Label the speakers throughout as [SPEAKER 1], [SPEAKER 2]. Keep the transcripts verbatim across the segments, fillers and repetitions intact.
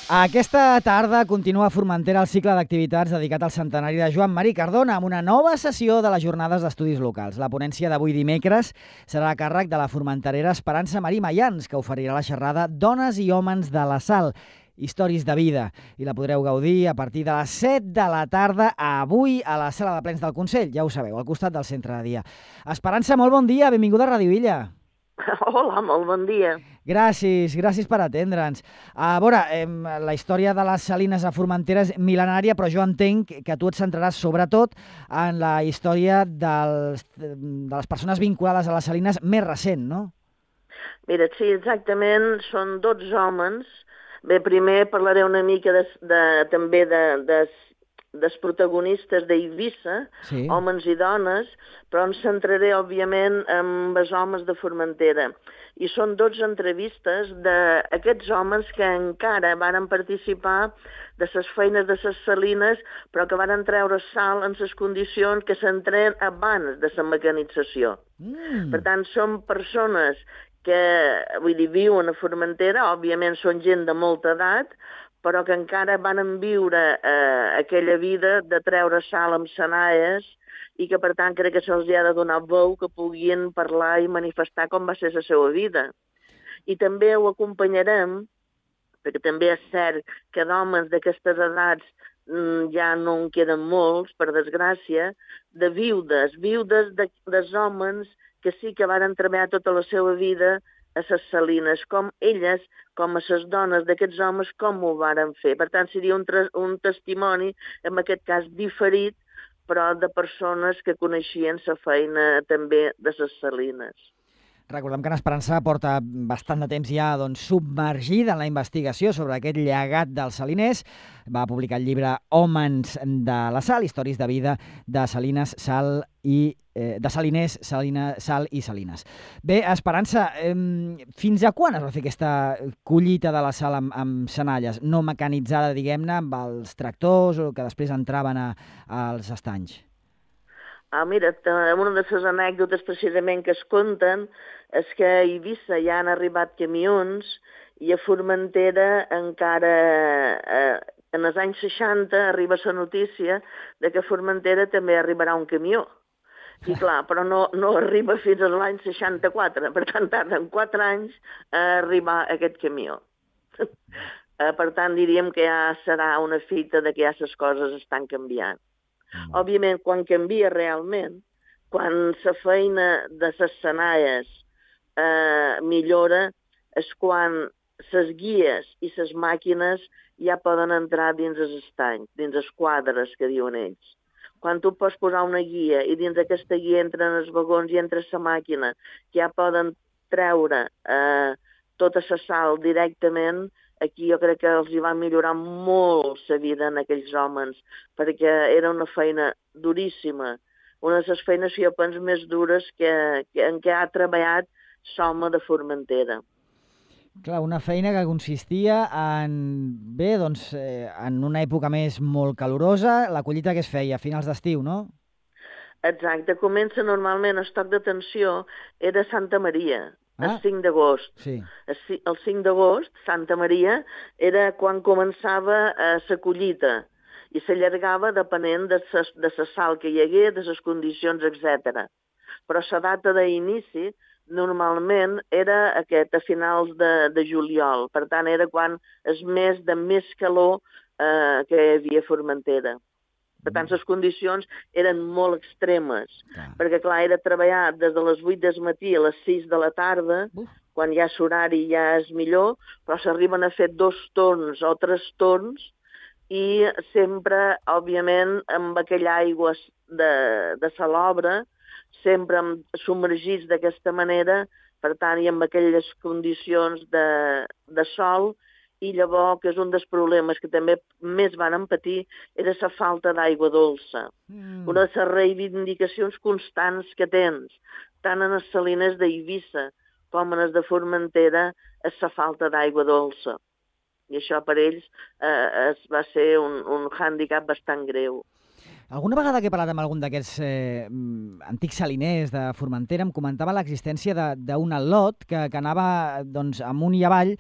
[SPEAKER 1] Aquesta tarda continua a Formentera el cicle d'activitats dedicat al centenari de Joan Marí Cardona amb una nova sessió de les Jornades d'Estudis Locals. La ponència d'avui dimecres serà a càrrec de la formenterera Esperança Marí Mayans, que oferirà la xerrada Dones i homes de la Sal, històries de vida, i la podreu gaudir a partir de les set de la tarda avui a la sala de plens del Consell, ja ho sabeu, al costat del centre de dia. Esperança, molt bon dia, benvinguda a Ràdio Illa.
[SPEAKER 2] Hola, molt bon dia.
[SPEAKER 1] Gràcies, gràcies per atendre'ns. A veure, eh, la història de les salines a Formentera és mil·lenària, però jo entenc que tu et centraràs sobretot en la història dels, de les persones vinculades a les salines més recent, no?
[SPEAKER 2] Mira, sí, exactament, són dotze homes. Bé, primer parlaré una mica de, de, també de, de, dels protagonistes d'Eivissa, sí. Homes i dones, però em centraré, òbviament, en els homes de Formentera. I són dotze entrevistes d'aquests homes que encara varen participar de les feines de les salines, però que varen treure sal en les condicions que s'entren abans de la mecanització. Mm. Per tant, són persones que, vull dir, viuen a Formentera, òbviament són gent de molta edat, però que encara van viure eh, aquella vida de treure sal amb senaies i que, per tant, crec que se'ls ha de donar veu que puguin parlar i manifestar com va ser la seva vida. I també ho acompanyarem, perquè també és cert que d'homes d'aquestes edats mm, ja no en queden molts, per desgràcia, de viudes, viudes de, dels homes que sí que varen treballar tota la seva vida a les salines, com elles, com a les dones d'aquests homes, com ho varen fer. Per tant, seria un, un testimoni, en aquest cas diferit, però de persones que coneixien la feina també de les salines.
[SPEAKER 1] Recordem que en Esperança porta bastant de temps ja doncs, submergida en la investigació sobre aquest llegat dels saliners. Va publicar el llibre Hòmens de la Sal, històries de vida de salines, sal i eh, de saliners, salina, sal i salines. Bé, Esperança, eh, fins a quan es va fer aquesta collita de la sal amb, amb senalles, no mecanitzada, diguem-ne, amb els tractors o que després entraven a, als estanys?
[SPEAKER 2] Ah, mira, una de les anècdotes precisament que es conten és que a Eivissa ja han arribat camions i a Formentera encara, eh, en els anys seixanta, arriba la notícia de que a Formentera també arribarà un camió. I clar, però no, no arriba fins a l'any seixanta-quatre, per tant tarden quatre anys a arribar aquest camió. Per tant, diríem que ja serà una fita de que ja les coses estan canviant. Òbviament, quan canvia realment, quan la feina de les senaies eh, millora, és quan les guies i les màquines ja poden entrar dins els estanys, dins els quadres que diuen ells. Quan tu pots posar una guia i dins d'aquesta guia entren els vagons i entra la màquina, que ja poden treure eh, tota la sal directament, aquí jo crec que els hi va millorar molt la vida en aquells homes, perquè era una feina duríssima, una de les feines que jo penso més dures que, que, en què ha treballat l'home de Formentera.
[SPEAKER 1] Clar, una feina que consistia en, bé, doncs, eh, en una època més molt calorosa, la collita que es feia a finals d'estiu, no?
[SPEAKER 2] Exacte, comença normalment, el toc d'atenció era Santa Maria, el
[SPEAKER 1] ah,
[SPEAKER 2] cinc d'agost.
[SPEAKER 1] Sí.
[SPEAKER 2] El cinc d'agost, Santa Maria, era quan començava eh, la collita i s'allargava depenent de la de sal que hi hagués, de les condicions, etcètera. Però la data d'inici normalment era aquest, a finals de, de juliol. Per tant, era quan és mes de més calor eh, que hi havia a Formentera. Per tant, les condicions eren molt extremes, clar. Perquè, clar, era treballar des de les vuit del matí a les sis de la tarda, Uf. Quan ja l'horari ja és millor, però s'arriben a fer dos torns o tres torns i sempre, òbviament, amb aquella aigua de, de salobre, sempre submergits d'aquesta manera, per tant, i amb aquelles condicions de, de sol. I llavors, que és un dels problemes que també més van patir, era la falta d'aigua dolça. Mm. Una de les reivindicacions constants que tens, tant en les salines d'Eivissa com en les de Formentera, és la falta d'aigua dolça. I això per ells eh, es va ser un, un hàndicap bastant greu.
[SPEAKER 1] Alguna vegada que he parlat amb algun d'aquests eh, antics saliners de Formentera em comentava l'existència d'un al·lot que, que anava doncs, amunt i avall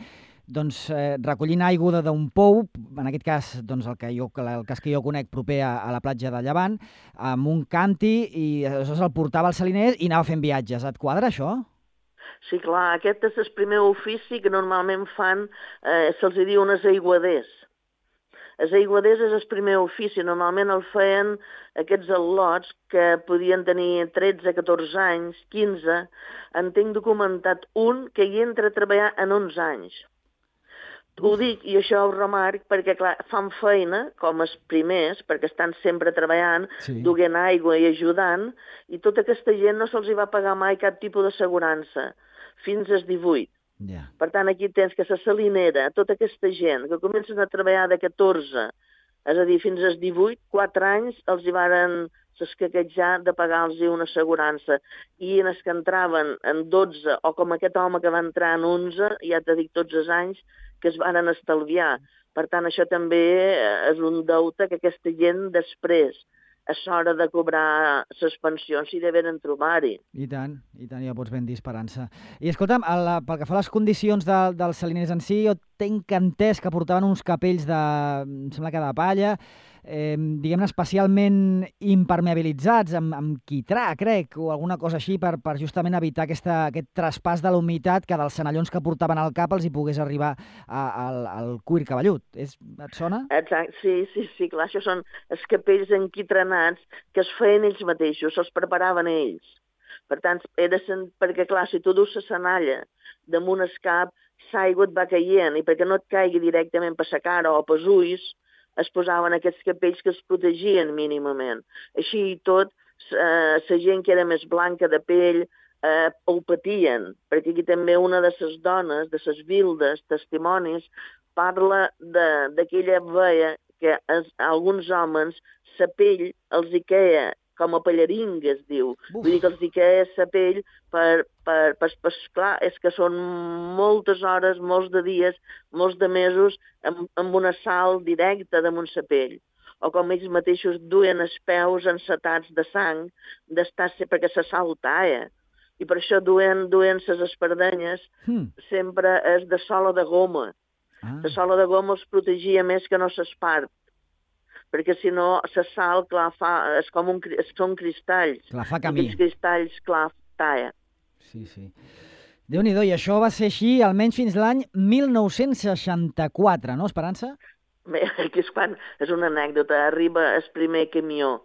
[SPEAKER 1] doncs, eh, recollint aigua d'un pou, en aquest cas, doncs, el, que jo, el cas que jo conec proper a, a la platja de Llevant, amb un canti, i aleshores el portava als saliners i anava fent viatges. Et quadra, això?
[SPEAKER 2] Sí, clar, aquest és el primer ofici que normalment fan, eh, se'ls diu unes aiguaders. Els aiguaders és el primer ofici, normalment el feien aquests al·lots que podien tenir tretze, catorze anys, quinze. En tinc documentat un que hi entra a treballar en onze anys. Ho dic, i això ho remarc, perquè clar, fan feina, com els primers, perquè estan sempre treballant, sí. duent aigua i ajudant, i tota aquesta gent no se'ls va pagar mai cap tipus d'assegurança, fins als divuit. Yeah. Per tant, aquí tens que la salinera, tota aquesta gent que comencen a treballar de catorze, és a dir, fins als divuit, quatre anys, els hi varen s'escaquejar de pagar-los una assegurança. I en els que entraven en dotze, o com aquest home que va entrar en onze, ja t'he dit tots els anys, que es varen estalviar. Per tant, això també és un deute que aquesta gent després, a l'hora de cobrar les pensions, s'hi deveren trobar-hi.
[SPEAKER 1] I tant, i tant, ja pots ben dir esperança. I escolta'm, el, pel que fa a les condicions de, dels saliners en si, jo tenc entès que portaven uns capells de, em sembla que de palla, eh, diguem-ne especialment impermeabilitzats, amb, amb quitrà, crec, o alguna cosa així, per, per justament evitar aquesta, aquest traspàs de la humitat que dels senallons que portaven al cap els hi pogués arribar a, al, al cuir cabellut. És, et sona?
[SPEAKER 2] Exacte, sí, sí, sí, clar, això són els capells enquitranats que es feien ells mateixos, se'ls preparaven ells. Per tant, era sen... perquè clar, si tu dus la senalla damunt el cap, l'aigua et va caient, i perquè no et caigui directament per la cara o pels ulls, es posaven aquests capells que es protegien mínimament. Així i tot, la eh, gent que era més blanca de pell eh, ho patien, perquè aquí també una de les dones, de les vildes, testimonis, parla d'aquella veia que es, alguns homes la pell els hi queia com a pallaringa, es diu. Uf. Vull dir que els hi queia la pell per, per, per, per... Clar, és que són moltes hores, molts de dies, molts de mesos amb, amb una sal directa damunt la pell. O com ells mateixos duen els peus encetats de sang, d'estar perquè la sal talla. I per això duen, duen les espardenyes, hmm. sempre és de sola de goma. Ah. La sola de goma els protegia més que no s'espart, perquè si no, la sal, clar, fa, és com un, són cristalls.
[SPEAKER 1] Clar, fa camí.
[SPEAKER 2] Aquests cristalls, clar, talla.
[SPEAKER 1] Sí, sí. Déu-n'hi-do, i això va ser així almenys fins l'any mil nou-cents seixanta-quatre, no, Esperança?
[SPEAKER 2] Bé, aquí és quan, és una anècdota, arriba el primer camió.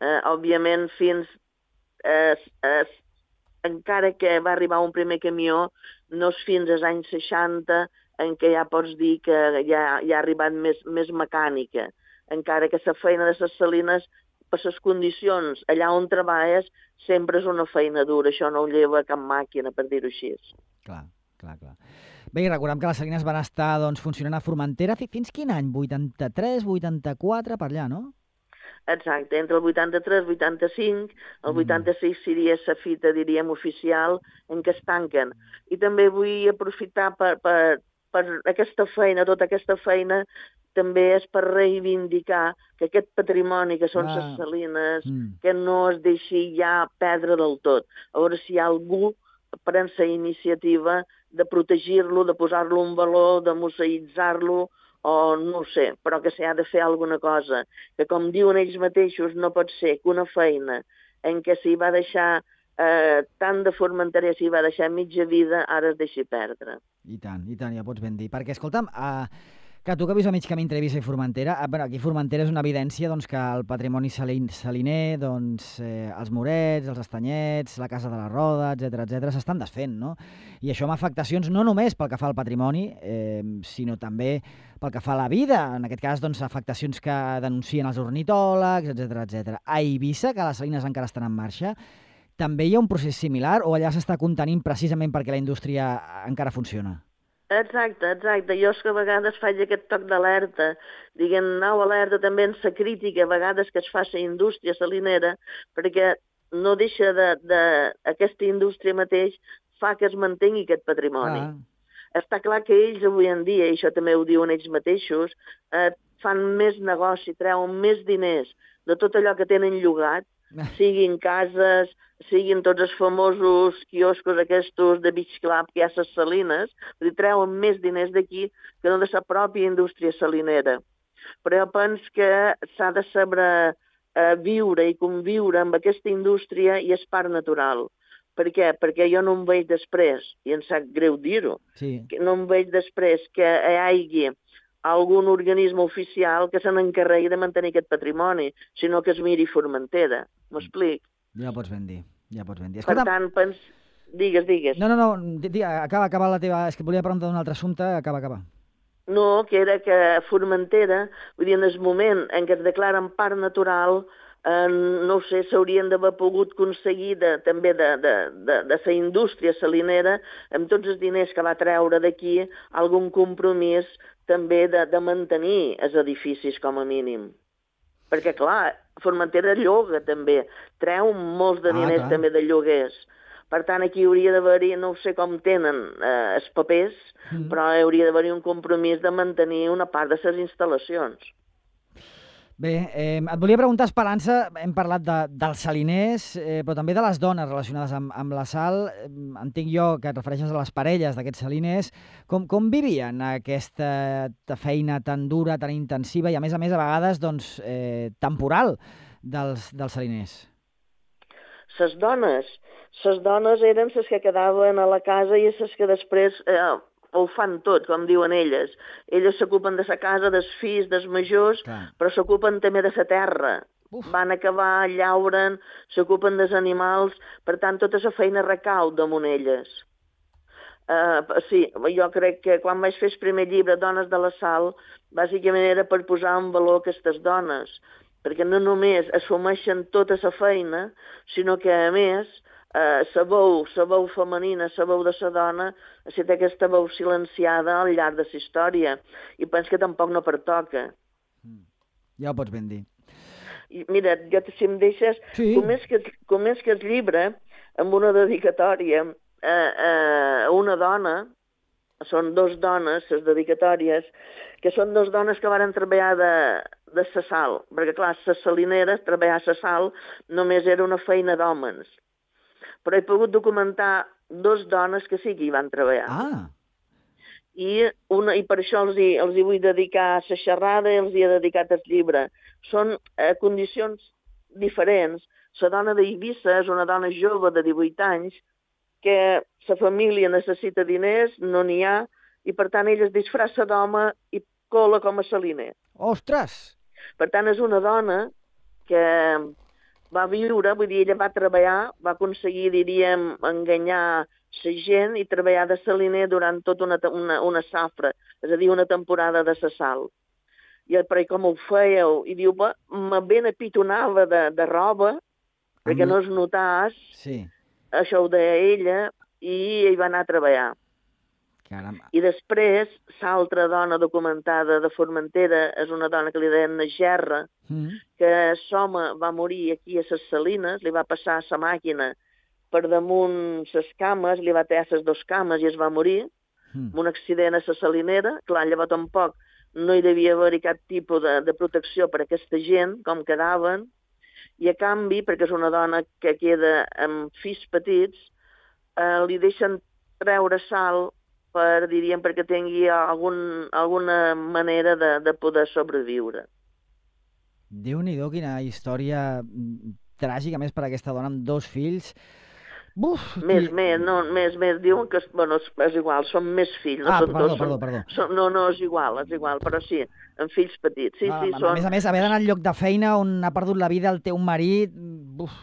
[SPEAKER 2] Eh, òbviament, fins, eh, eh, encara que va arribar un primer camió, no és fins als anys seixanta en què ja pots dir que ja, ja ha arribat més, més mecànica. Encara que la feina de les salines, per les condicions allà on treballes, sempre és una feina dura, això no ho lleva cap màquina, per dir-ho així.
[SPEAKER 1] Clar, clar, clar. Bé, i recordem que les salines van estar doncs, funcionant a Formentera fins quin any? vuitanta-tres, vuitanta-quatre, per allà, no?
[SPEAKER 2] Exacte, entre el vuitanta-tres i vuitanta-cinc, el mm. vuitanta-sis seria la fita, diríem, oficial, en què es tanquen. I també vull aprofitar per, per, per aquesta feina, tota aquesta feina, també és per reivindicar que aquest patrimoni que són ah. les salines, mm. que no es deixi ja perdre del tot. A veure si hi ha algú pren la iniciativa de protegir-lo, de posar-lo en valor, de museïtzar-lo, o no ho sé, però que s'ha de fer alguna cosa. Que com diuen ells mateixos, no pot ser que una feina en què s'hi va deixar eh, tant de Formentera, s'hi va deixar mitja vida, ara es deixi perdre.
[SPEAKER 1] I tant, i tant, ja pots ben dir. Perquè, escolta'm, uh... que tu que vius a mig camí entre Eivissa i Formentera, eh, bueno, aquí Formentera és una evidència doncs, que el patrimoni salin, saliner, doncs, eh, els morets, els estanyets, la Casa de la Roda, etcètera, etcètera, s'estan desfent, no? I això amb afectacions no només pel que fa al patrimoni, eh, sinó també pel que fa a la vida, en aquest cas, doncs, afectacions que denuncien els ornitòlegs, etcètera, etcètera. A Eivissa, que les salines encara estan en marxa, també hi ha un procés similar o allà s'està contenint precisament perquè la indústria encara funciona?
[SPEAKER 2] Exacte, exacte. Jo és que a vegades faig aquest toc d'alerta, diguem, nau alerta també en la crítica, a vegades que es fa la indústria salinera, perquè no deixa de, de... aquesta indústria mateix fa que es mantengui aquest patrimoni. Ah. Està clar que ells avui en dia, i això també ho diuen ells mateixos, eh, fan més negoci, treuen més diners de tot allò que tenen llogat, siguin cases, siguin tots els famosos quioscos aquests de Beach Club que hi ha a les salines, vull dir, treuen més diners d'aquí que no de la pròpia indústria salinera. Però jo penso que s'ha de saber eh, viure i conviure amb aquesta indústria i és part natural. Per què? Perquè jo no em veig després, i em sap greu dir-ho, sí. no em veig després que hi hagi algun organisme oficial que se n'encarregui de mantenir aquest patrimoni, sinó que es miri Formentera. M'explic?
[SPEAKER 1] Ja pots ben dir, ja pots ben dir.
[SPEAKER 2] Escolta... Per tant, pens... digues, digues.
[SPEAKER 1] No, no, no, acaba, acaba la teva... És que volia preguntar d'un altre assumpte, acaba, acaba.
[SPEAKER 2] No, que era que Formentera, vull dir, en el moment en què es declaren parc natural, eh, no ho sé, s'haurien d'haver pogut aconseguir de, també de, de, de, de la indústria salinera, amb tots els diners que va treure d'aquí, algun compromís també de, de mantenir els edificis com a mínim. Perquè, clar, Formentera lloga també, treu molts de diners ah, també de lloguers. Per tant, aquí hauria d'haver-hi, no sé com tenen eh, els papers, mm. però hauria d'haver-hi un compromís de mantenir una part de les instal·lacions.
[SPEAKER 1] Bé, eh, et volia preguntar, Esperança, hem parlat de, dels saliners, eh, però també de les dones relacionades amb, amb la sal. Eh, entenc jo que et refereixes a les parelles d'aquests saliners. Com, com vivien aquesta feina tan dura, tan intensiva i, a més a més, a vegades, doncs, eh, temporal dels, dels saliners?
[SPEAKER 2] Les dones, les dones eren les que quedaven a la casa i les que després... Eh, ho fan tot, com diuen elles. Elles s'ocupen de la casa, dels fills, dels majors, clar. Però s'ocupen també de la terra. Uf. Van acabar, llauren, s'ocupen dels animals, per tant, tota la feina recau damunt elles. Uh, sí, jo crec que quan vaig fer el primer llibre, Dones de la Sal, bàsicament era per posar en valor aquestes dones, perquè no només assumeixen tota la feina, sinó que, a més, Uh, la veu, la veu femenina, la veu de la dona, ha estat aquesta veu silenciada al llarg de la història. I penso que tampoc no pertoca.
[SPEAKER 1] Mm. Ja ho pots ben dir.
[SPEAKER 2] I, mira, jo, si em deixes, sí. començo com el llibre amb una dedicatòria a, a una dona, són dos dones, les dedicatòries, que són dos dones que varen treballar de, de la sal, perquè clar, les salineres, treballar a la sal, només era una feina d'homes. Però he pogut documentar dos dones que sí que hi van treballar.
[SPEAKER 1] Ah.
[SPEAKER 2] I, una, i per això els hi, els hi vull dedicar la xerrada i els hi he dedicat el llibre. Són eh, condicions diferents. La dona d'Eivissa és una dona jove de divuit anys que la família necessita diners, no n'hi ha, i per tant ella es disfressa d'home i cola com a saliner.
[SPEAKER 1] Ostres!
[SPEAKER 2] Per tant és una dona que... va viure, vull dir, ella va treballar, va aconseguir, diríem, enganyar la gent i treballar de saliner durant tota una, una, una safra, és a dir, una temporada de la sal. I però com ho fèieu? I diu, me ben apitonava de, de roba, perquè no es notàs,
[SPEAKER 1] sí.
[SPEAKER 2] Això ho deia ella, i ell va anar a treballar.
[SPEAKER 1] Caramba.
[SPEAKER 2] I després, l'altra dona documentada de Formentera és una dona que li deien Gerra, mm. que l'home va morir aquí a les salines, li va passar la màquina per damunt les cames, li va tallar les dues cames i es va morir, mm. amb un accident a la salinera. Clar, llavors tampoc no hi devia haver cap tipus de, de protecció per a aquesta gent, com quedaven, i a canvi, perquè és una dona que queda amb fills petits, eh, li deixen treure sal per, diríem, perquè tingui algun, alguna manera de, de poder sobreviure.
[SPEAKER 1] Déu-n'hi-do, quina història tràgica, més per a aquesta dona amb dos fills. Buf!
[SPEAKER 2] Més, qui... més, no, més, més, diuen que, bueno, és igual, són més fills. No
[SPEAKER 1] ah,
[SPEAKER 2] són
[SPEAKER 1] perdó,
[SPEAKER 2] dos,
[SPEAKER 1] perdó,
[SPEAKER 2] són,
[SPEAKER 1] perdó.
[SPEAKER 2] Són, no, no, és igual, és igual, però sí, amb fills petits. Sí,
[SPEAKER 1] ah,
[SPEAKER 2] sí,
[SPEAKER 1] a,
[SPEAKER 2] són...
[SPEAKER 1] a més a més, haver d'anar al lloc de feina on ha perdut la vida el teu marit... Buf!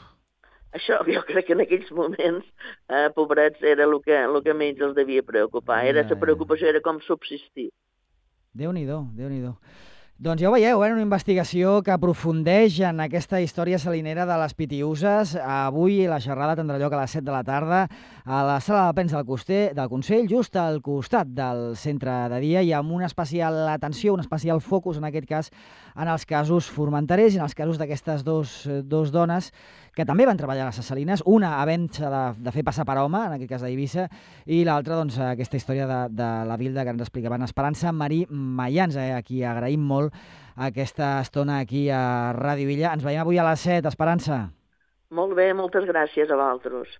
[SPEAKER 2] Això jo crec que en aquells moments, eh, pobrets, era el que, el que menys els devia preocupar. Era, la preocupació era com subsistir.
[SPEAKER 1] Déu-n'hi-do, Déu-n'hi-do. Doncs ja ho veieu, eh? Una investigació que aprofundeix en aquesta història salinera de les Pitiüses. Avui la xerrada tindrà lloc a les set de la tarda a la sala de premsa del, Coster, del Consell, just al costat del centre de dia, i amb una especial atenció, un especial focus, en aquest cas, en els casos formenterers i en els casos d'aquestes dos, dos dones que també van treballar a les Salines, una havent-se de, de fer passar per home, en aquest cas d'Eivissa, i l'altra, doncs, aquesta història de, de la Vilda que ens explicaven Esperança Marí Mayans, eh, a qui agraïm molt aquesta estona aquí a Ràdio Illa. Ens veiem avui a les set, Esperança.
[SPEAKER 2] Molt bé, moltes gràcies a vosaltres.